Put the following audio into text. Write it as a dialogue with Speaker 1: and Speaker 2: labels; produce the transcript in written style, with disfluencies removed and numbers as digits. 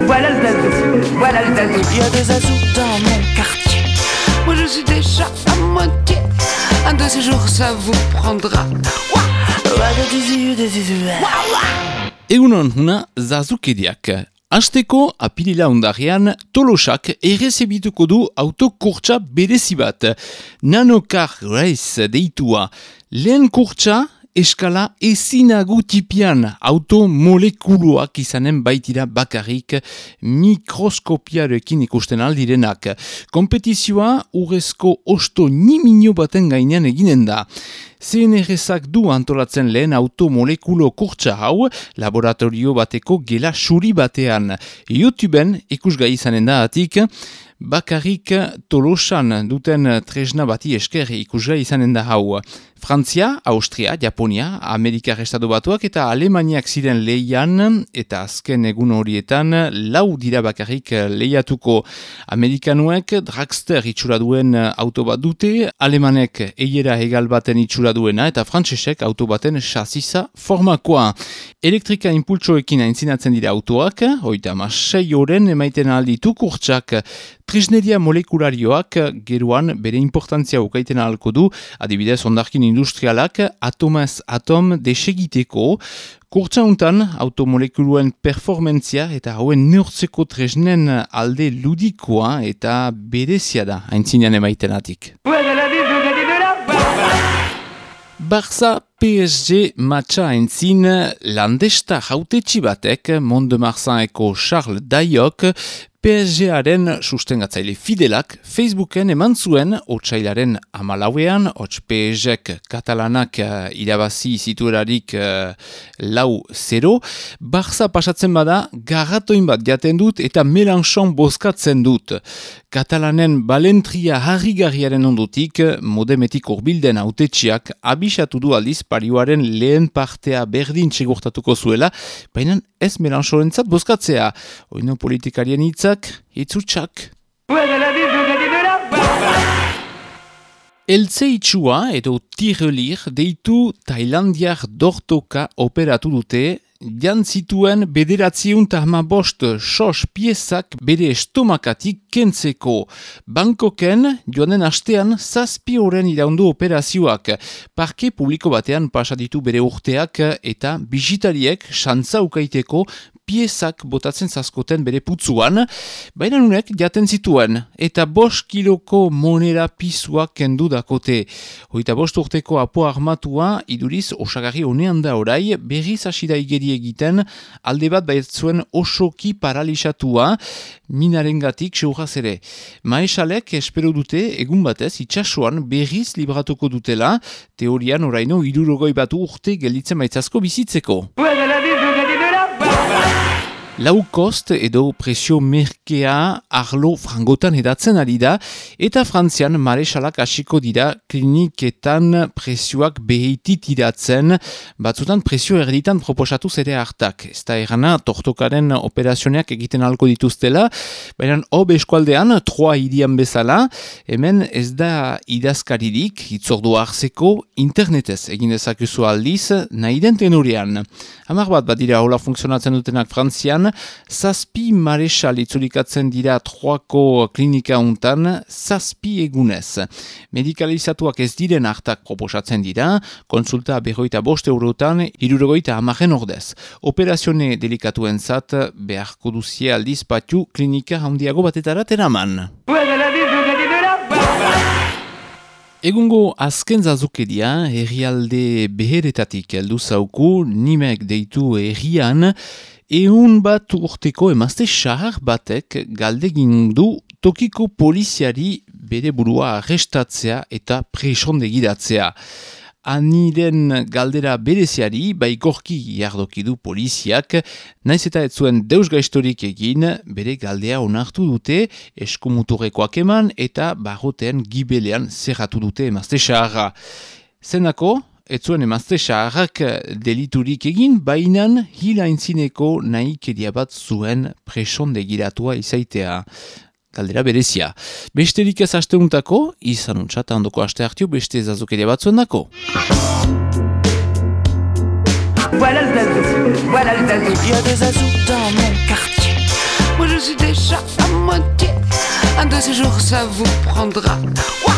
Speaker 1: voilà le zazou, voilà le zazou. Il y a des zazous dans mon quartier. Moi je suis déjà à moitié. Un de ces jours ça vous prendra.
Speaker 2: Egunon huna zazukeriak. Hasteko apirila ondarrean Tolosak errezebituko du autokurtsa berezi bat. Nanocar Race deitua. Lehen kurtsa eskala ezinagu tipian automolekuluak izanen baitira bakarrik mikroskopiarekin ikusten aldirenak. Kompetizioa urrezko osto nimino baten gainean eginen da. CNRSak du antolatzen lehen automolekulo kurtsa hau laboratorio bateko gela suri batean. YouTubeen ikusgai izanen da atik, bakarrik Tolosan duten tresna bati esker ikusgai izanen da hau. Frantzia, Austria, Japonia, Amerikar Estatu Batuak eta Alemaniak ziren lehian eta azken egun horietan lau dira bakarrik lehiatuko. Amerikanuek dragster itxura duen auto bat dute, alemanek eiera hegal baten itxura duena eta frantsesek auto baten chasisa formakoa. Elektrika impultsoekin aintzinatzen dira autoak, 36 oren emaiten alditu kurtsak. Tresneria molekularioak geroan bere importantzia ukaiten ahalko du, adibidez ondarkin industrialak atomaz atom desegiteko. Kurtsa untan automolekuluen performentzia eta hauen neurtzeko tresnen alde ludikoa eta berezia da aintzinean emaitenatik. Barça PSG matcha aintzin landesta jautetxi batek Mont-de-Marsaneko Charles Dayok PSG-aren sustengatzaile fidelak Facebooken eman zuen otsailaren 14ean, hots PSG-ek katalanak irabazi zituerarik 4-0, Barça pasatzen bada garratoin bat jaten dut eta Melanchon bozkatzen dut. Katalanen balentria harrigarriaren ondotik modemetik urbilden hautetxiak abisatu du aldiz parioaren lehen partea berdin segurtatuko zuela, baina ez Melanchorentzat bozkatzea. Oino politikarien hitzak, hitzutsak. Eltze itxua edo tirelir deitu Tailandiar dortoka operatu dute, jantzituen 915 sos piezak bere estomakatik kentzeko. Bangkoken joanen astean 7 oren iraundu operazioak. Parke publiko batean pasaditu bere urteak eta bisitariek xantza ukaiteko piezak botatzen zazkoten bere putzuan, baina nunek jaten zituen, eta 5 kiloko monera pisuak kendu dakote. 25 urteko apo armatua, iduriz osagarri honean da orai, berriz asida igeri egiten, alde bat baitzuen osoki paralisatua, minarengatik seuraz ere. Maesalek espero dute egun batez itxasuan berriz libratuko dutela, teorian oraino 61 urte gelditzen baitzazko bizitzeko. Low cost edo presio merkea arlo frangotan edatzen ari da eta Frantzian maresalak hasiko dira kliniketan presioak behitit iratzen, batzutan presio erditan proposatu zere hartak. Ez da erana tortokaren operazioneak egiten alko dituztela, baina hob eskualdean, Troa hirian bezala, hemen ez da idazkaririk, hitzordu hartzeko internetez egin dezakezu aldiz, nahi den tenorean. 10 bat dira hola funtzionatzen dutenak Frantzian, 7 maresal itzulikatzen dira Troako klinika untan, 7 egunez. Medikalizatuak ez diren hartak proposatzen dira, konsulta 45 eurotan, 70 ordez. Operazione delikatuen zat, beharko duzie aldiz patu klinika handiago batetara teraman. Egungo azken zazukeria herrialde beheretatik heldu zauku, Nimek deitu herrian, 100 bat urteko emazte xahar batek galdegin du tokiko poliziari bere burua arrestatzea eta presondegiratzea. Aniren galdera bereziari baikorki jardoki du poliziak, naiz eta ez zuen deusgaistorik egin, bere galdea onartu dute, eskumuturrekoak eman eta barrotean gibelean zerratu dute emazte xaharra. Zenako, ez zuen emazte xaharrak deliturik egin, bainan hilaintzineko nahikeria bat zuen presondegiratua izaitea. Galdera berezia. Besterik ez asteuntako, izan untsat handoko aste hartio beste zazukeria batzuen dako.
Speaker 1: Voilà le zazou, il y a des zazous dans mon quartier. Moi Un de ces jours ça vous prendra. Ouah.